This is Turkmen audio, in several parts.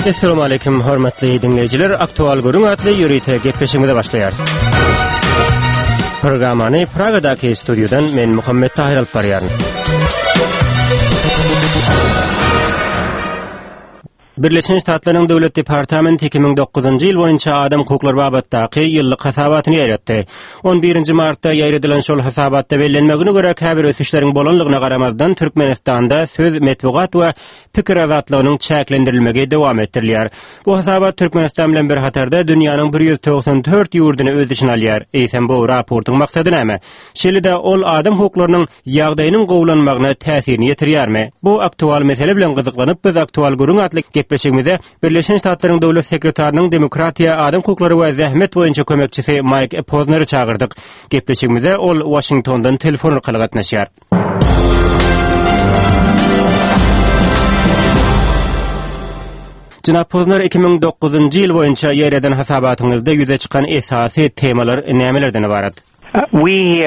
Essalamu aleýkum hormatly diňleýjiler. Aktual gürrüň atly ýörite gepleşigimize başlaýarys. Programmany Pragadaky studiýadan men Muhammet Tahir alyp barýaryn. Birleşen Ştatlaryň Döwlet departamenti 2009-njy ýyl boýunça adam hukuklary babatdaky ýyllyk hasabatyny ýaýratdy. On birinji martda ýaýradylan şol hasabatda bellenmegine görä, käbir ösüşleriň bolanlygyna garamazdan, Türkmenistanda söz, metbugat we pikir azatlygynyň çäklendirilmegi dowam etdirilýär. Bu hasabat Türkmenistan bilen bir hatarda dünýäniň 194 ýurduny öz içine alýar. Eýsem bu raportyň maksady näme? Şeýle-de ol adam hukuklarynyň ýagdaýynyň gowulanmagyna täsirini ýetirýärmi? Bu aktual mesele bilen gyzyklanyp, biz Aktual gürrüň atly gepleşigimizde Birleşen Ştatlaryň Döwlet sekretarynyň demokratiýa, adam hukuklary we zähmet boýunça kömekçisi Maýk Pozneri çagyrdyk. Gepleşigimize ol Waşingtondan telefon arkaly gatnaşýar. Jenap Pozner, 2009-njy ýyl boýunça ýaýradan hasabatyňyzda ýüze çykan esasy temalar nämelerden ybarat? We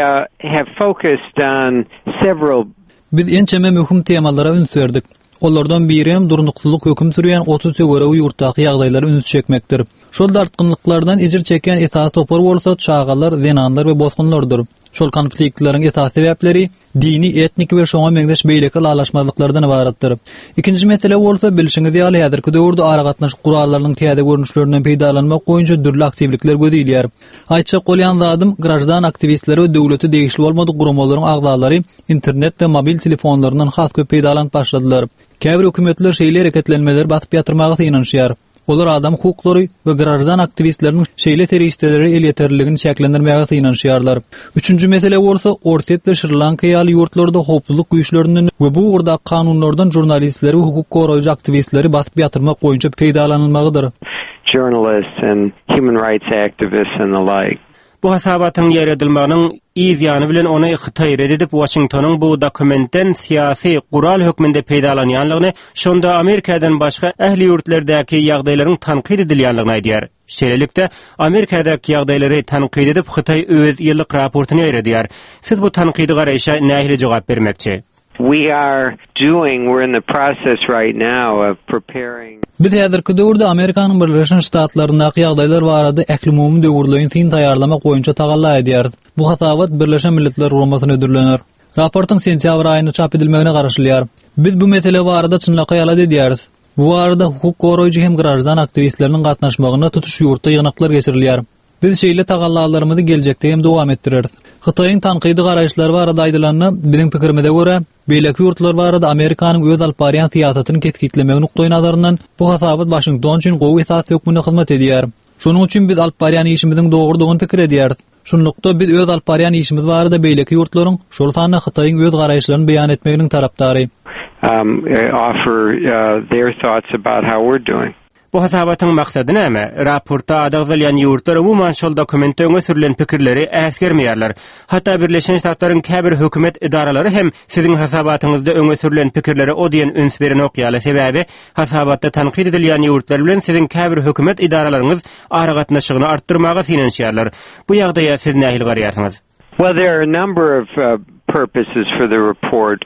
have focused on several Biz ençeme möhüm temalara üns berdik. Olardan biri hem durnuksyzlyk höküm sürýän 30 töweregi ýurtdaky ýagdaýlara üns çekmekdir. Şol dartgynlyklardan ejir çekýän esasy topar bolsa çagalar, zenanlar we bosgunlardyr. Şol konfliktleriň esasy sebäpleri dini, etniki we şoňa meňzeş beýleki ylalaşmazlyklardan ybaratdyr. Ikinji mesele bolsa, bilşiňiz ýaly, häzirki döwürde aragatnaşyk gurallarynyň täze görnüşlerinden peýdalanmak boýunça dürli aktiwlikler göz ilýär. Aýtjak bolýan zadym, graždan aktiwistleri we döwlete degişli bolmadyk guramalaryň agzalary internet we mobil telefonlaryndan has köp peýdalanyp başladylar. Käbir hökümetler şeýle hereketlenmeleri basyp ýatyrmaga synanyşýar. Olar adam hukuklary we graždan aktiwistleriniň şeýle serişdelere elýeterliligini çäklendirmäge synanyşýarlar. Üçünji mesele bolsa, Orsýet we Şri-Lanka ýaly ýurtlarda howpsuzlyk güýçlerinden we bu ugurdaky kanunlardan žurnalistleri we hukuk goraýjy aktiwistleri basyp ýatyrmak boýunça peýdalanylmagydyr. journalists and human rights activists and the like. Bu hasabatyň ýaýradylmagynyň yz ýany bilen ony Hytaý ret edip, Waşingtonyň bu dokumentden syýasy gural hökmünde peýdalanýanlygyny, şonda Amerikadan başga ähli ýurtlardaky ýagdaýlaryň tankyt edilýänligini aýdýar. Şeýlelikde, Amerikadaky ýagdaýlary tankyt edip, Hytaý öz ýyllyk raportyny ýaýradýar. Siz bu tankydy garaýşa nähili jogap bermekçi? We are doing, we're in the process right now of preparing. Biz häzirki döwürde Amerikanyň Birleşen Ştatlaryndaky ýagdaýlar barada ählumumy döwürleýin syn taýýarlamak boýunça tagalla edýäris. Bu hasabat Birleşen Milletler Guramasyna hödürlener. Raportyň sentýabr aýynda çap edilmegine garaşylýar. Biz bu mesele barada çynlakaý alada edýäris. Bu barada hukuk goraýjy hem graždan aktiwistleriniň gatnaşmagynda tutuş ýurtda ýygnaklar geçirilýär. Biz şeýle tagallalarymyzy geljekde hem dowam etdireris. Hytaýyň tankydy garaýyşlary barada aýdylanda, biziň pikirimize görä, beýleki ýurtlar barada Amerikanyň öz alyp barýan syýasatyny kesgitlemegi nukdaýnazaryndan bu hasabat Waşington üçin gowy esas hökmünde hyzmat edýär. Şonuň üçin biz alyp barýan işimiziň dogrudygyny pikir edýäris. Şunlukda, biz öz alyp barýan işimiz barada beýleki ýurtlaryň, şol sanda Hytaýyň öz garaýyşlaryny beýan etmeginiň tarapdary. offer their thoughts about how we're doing. Bu hasabatyň maksady näme? Raportda ady agzalýan ýurtlar umuman şol dokumentde öňe sürlen pikirleri äsgermeýärler. Hatda Birleşen Ştatlaryň käbir hökümet edaralary hem siziň hasabatyňyzda öňe sürlen pikirlere o diýen üns berenok ýaly, sebäbi hasabatda tankyt edilýän ýurtlar bilen siziň käbir hökümet edaralaryňyz aragatnaşygyny artdyrmaga synanyşýarlar. Bu ýagdaýa siz nähili garaýarsyňyz? Well, there are a number of purposes for the report.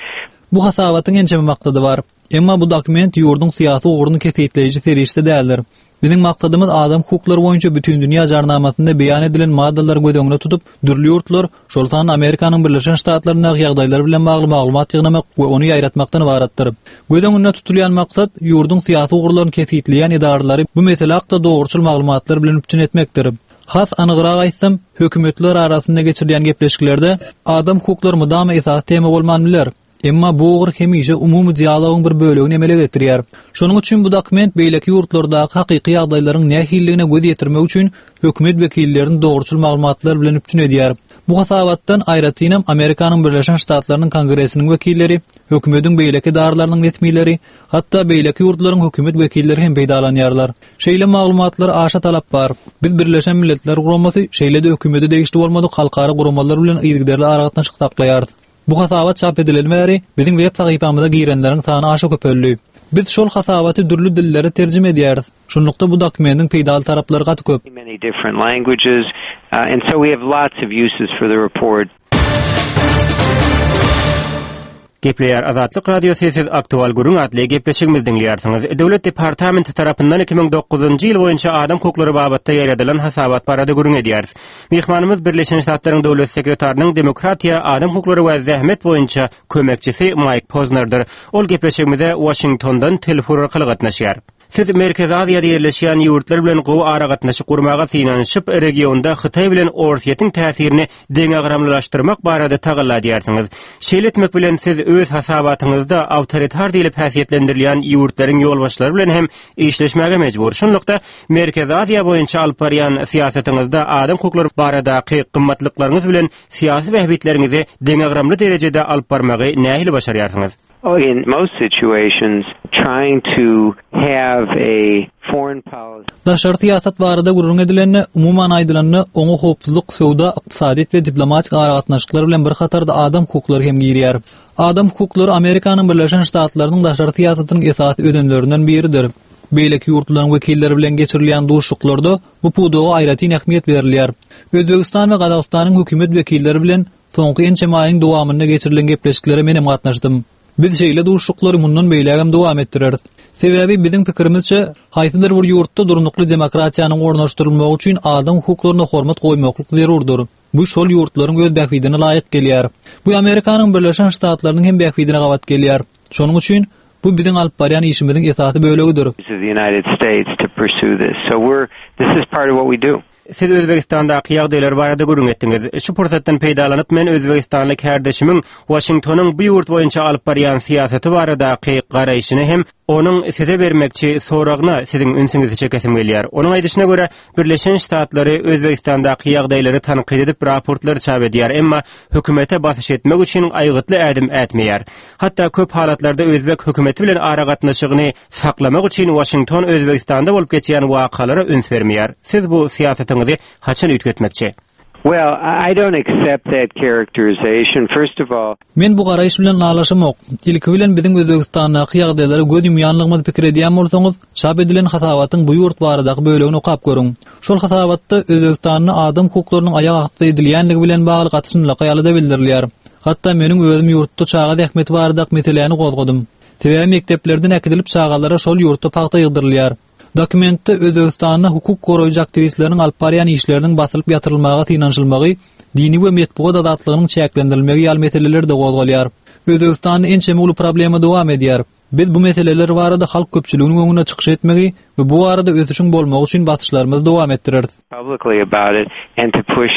Bu hasabatyň ençeme maksady bar. Emma bu dokument ýurduň syýasy ugruny kesgitleýji serişde däldir. Biziň maksadymyz adam hukuklary boýunça Bütindünýä Jarnamasynda beýan edilen maddalary göz öňünde tutup, dürli ýurtlar, şol sanda Amerikanyň Birleşen Ştatlaryndaky ýagdaýlar bilen bagly maglumat ýygnamak we ony ýaýratmakdan ybaratdyr. Göz öňünde tutulýan maksat, ýurduň syýasy ugurlaryny kesgitleýän edaralary bu mesele hakda dogruçyl maglumatlar bilen üpjün etmekdir. Has anygrak aýtsam, hökümetler arasynda geçirilýän gepleşiklerde adam hukuklary mydama esasy tema bolman biler. Emma bu ugur hemişe umumy dialogyň bir bölegini emele getirýär. Şonuň üçin bu dokument beýleki ýurtlardaky hakyky ýagdaýlaryň nähilidigine göz ýetirmek üçin hökümet wekillerini dogruçyl maglumatlar bilen üpjün edýär. Bu hasabatdan, aýratynam, Amerikanyň Birleşen Ştatlarynyň Kongresiniň wekilleri, hökümetiň beýleki edaralarynyň resmileri, hatda beýleki ýurtlaryň hökümet wekilleri hem peýdalanýarlar. Şeýle maglumatlara aşa talap bar. Biz Birleşen Milletler Guramasy, şeýle-de hökümete degişli bolmadyk halkara guramalar bilen yzygiderli aragatnaşyk saklaýarys. Bu hasabat çap edileli bäri, biziň web sahypamyza girenleriň sany aşa köpeldi. Biz şol hasabaty dürli dillere terjime edýäris. Şunlukda bu dokumentiň peýdaly taraplary gaty köp. Gepleýär Azatlyk Radiosy siz Aktual gürrüň atly gepleşigimizi diňleýärsiňiz. Döwlet departamenti tarapyndan 2009-njy ýyl boýunça adam hukuklary babatda ýaýradylan hasabat barada gürrüň edýäris. Myhmanymyz Birleşen Ştatlaryň Döwlet sekretarynyň demokratiýa, adam hukuklary we zähmet boýunça kömekçisi Maýk Poznerdir. Ol gepleşigimize Waşingtondan telefon arkaly gatnaşýar. Siz Merkezi Aziýada ýerleşýän ýurtlar bilen gowy aragatnaşyk gurmaga synanyşyp, regionda Hytaý bilen Orsýetiň täsirini deňagramlylaşdyrmak barada tagalla edýärsiňiz. Şeýle etmek bilen siz öz hasabatyňyzda awtoritar diýlip häsiýetlendirilýän ýurtlaryň ýolbaşçylary bilen hem işleşmäge mejbur. Şunlukda, Merkezi Aziýa boýunça alyp barýan syýasatyňyzda adam hukuklary baradaky gymmatlyklaryňyz bilen syýasy bähbitleriňizi deňagramly derejede alyp barmagy nähili başarýarsyňyz? In most situations trying to have a foreign policy. Daşary syýasat barada gürrüň edilende, umuman aýdylanda, oňa howpsuzlyk, söwda, ykdysadyýet we diplomatik aragatnaşyklar bilen bir hatarda adam hukuklary hem girýär. Adam hukuklary Amerikanyň Birleşen Ştatlarynyň daşary syýasatynyň esasy özenlerinden biridir. Beýleki ýurtlaryň wekilleri bilen geçirilýän duşuşyklarda bu pudaga aýratyn ähmiýet berilýär. Özbegistan we Gazagystanyň hökümet wekilleri bilen Soňky ençeme aýyň dowamynda geçirilen gepleşiklere menem gatnaşdym. Biz şeýle duşuşyklary mundan beýlägem dowam etdireris. Sebäbi biziň pikirimizçe, haýsydyr bir ýurtda durnukly demokratiýanyň ornaşdyrylmagy üçin adam hukuklaryna hormat goýmaklyk zerurdyr. Bu şol ýurtlaryň öz bähbidine laýyk gelýär. Bu Amerikanyň Birleşen Ştatlarynyň hem bähbidine gabat gelýär. Şonuň üçin, bu biziň alyp barýan işimiziň esasy bölegidir. Siz Özbegistandaky ýagdaýlar barada gürrüň etdiňiz. Şu pursatdan peýdalanyp, men özbegistanly kärdeşimiň Waşingtonyň bu ýurt boýunça alyp barýan syýasaty baradaky garaýşyny hem onuň size bermekçi soragyna siziň ünsüňizi çekesim gelýär. Onuň aýdyşyna görä, Birleşen Ştatlary Özbegistandaky ýagdaýlary tankyt edip raportlary çap edýär, emma hökümete basyş etmek üçin aýgytly ädim ätmeýär. Hatda köp halatlarda özbek hökümeti bilen aragatnaşygyny saklamak üçin Waşington Özbegistanda bolup geçýän wakalara üns bermeýär. Siz bu syýasatyňyzy haçan üýtgetmekçi? Well, I don't accept that characterization. First of all, Men bu garaýyş bilen ylalaşamok. Ilki bilen biziň Özbegistandaky ýagdaýlara göz ýumýanlygymyzy pikir edýän bolsaňyz, çap edilen hasabatyň bu ýurt baradaky bölegini okap görüň. Şol hasabatda Özbegistanda adam hukuklarynyň aýak asty edilýänligi bilen bagly gaty çynlakaý alada bildirilýär. Hatda meniň özüm ýurtda çaga zähmeti baradaky meseläni gozgadym. Sebäbi mekdeplerden äkidilip çagalara şol ýurtda pagta ýygdyrylýar. Dokumentde Özbegistanda hukuk goraýjy aktiwistleriniň alyp barýan işleriniň basylyp ýatyrylmaga synanyşylmagy, dini we metbugat azatlygynyň çäklendirilmegi ýaly meseleler-de gozgalýar. Özbegistanda ençeme uly problema dowam edýär. Biz bu meseleler barada halk köpçüliginiň öňünde çykyş etmegi we bu barada ösüşiň bolmagy üçin basyşlarymyzy dowam etdireris. publicly about it and to push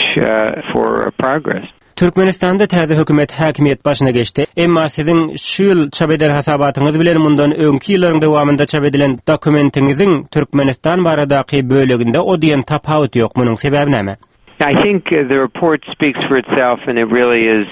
for progress. Türkmenistanda täze hökümet häkimiýet başyna geçdi. Emma siziň şu ýyl çap eden hasabatyňyz bilen mundan öňki ýyllaryň dowamynda çap edilen dokumentiňiziň Türkmenistan baradaky böleginde o diýen tapawut ýok. Munuň sebäbi näme? I think the report speaks for itself and it really is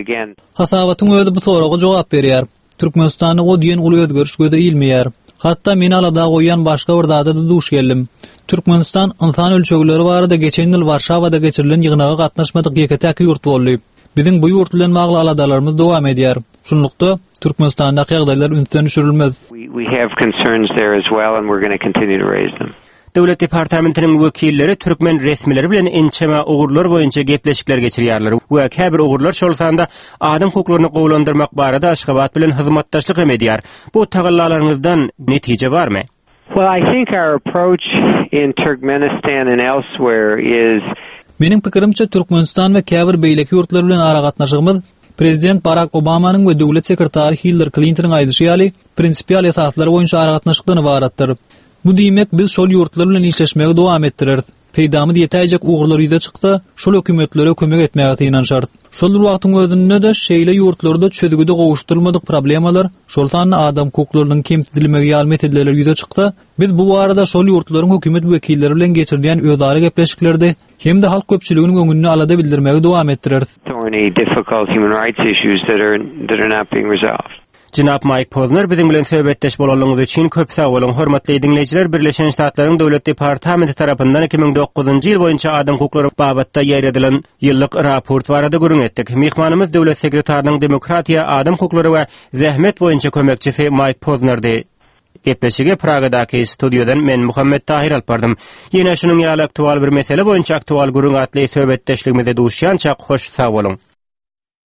again. Hasabatyň özi bu soraga jogap berýär. Türkmenistanda o diýen uly özgeriş göze ilmeýär. Hatda meni alada goýýan başga bir zada-da duş geldim. Türkmenistan ynsan ölçegleri barada geçen ýyl Warşawada geçirilen ýygnaga gatnaşmadyk ýeke-täk ýurt boldy. Biziň bu ýurt bilen bagly aladalarymyz dowam edýär. Şunlukda, Türkmenistandaky ýagdaýlar ünsden düşürilmez. We have concerns there as well and we're gonna continue to raise them. Döwlet departamentiniň wekilleri türkmen resmileri bilen ençeme ugurlar boýunça gepleşikler geçirýärler we käbir ugurlar, şol sanda adam hukuklaryny gowulandyrmak barada Aşgabat bilen hyzmatdaşlyk hem edýär. Bu tagallalaryňyzdan netije barmy? Well, I think our approach in Turkmenistan and elsewhere is Meniň pikirimçe, Türkmenistan we käbir beýleki ýurtlar bilen aragatnaşygymyz prezident Barak Obamanyň we döwlet sekretary Hillari Klintonyň aýdyşy ýaly, prinsipial esaslar boýunça aragatnaşykdan ybaratdyr. Bu diýmek, biz şol ýurtlar bilen işleşmegi dowam etdireris. Peýdamyz ýetäýjek ugurlar ýüze çyksa, şol hökümetlere kömek etmäge synanyşarys. Şol bir wagtyň özünde-de, şeýle ýurtlarda çözgüdi gowuşdyrylmadyk problemalar, şol sanda adam hukuklarynyň kemsidilmegi ýaly meseleler ýüze çyksa, biz bu barada şol ýurtlaryň hökümet wekilleri bilen geçirilýän özara gepleşiklerde hem-de halk köpçüliginiň öňünde alada bildirmegi dowam etdireris. Thorny, difficult human rights issues that are that are not being resolved. Jenap Maýk Pozner biziň bilen söhbetdeş bolanlygyňyz üçin köp sag boluň. Hormatly diňleýjiler, Birleşen Ştatlaryň Döwlet departamenti tarapyndan 2009-njy ýyl boýunça adam hukuklary babatda ýaýradylan ýyllyk raport barada gürrüň etdik. Myhmanymyz Döwlet sekretarynyň demokratiýa, adam hukuklary we zähmet boýunça kömekçisi Maýk Poznerdi. Gepleşigi Pragadaky studiýadan men Muhammet Tahyr alyp bardym. Ýene şunuň ýaly aktual bir mesele boýunça Aktual gürrüň atly söhbetdeşligimizde duşýançak hoş sag boluň.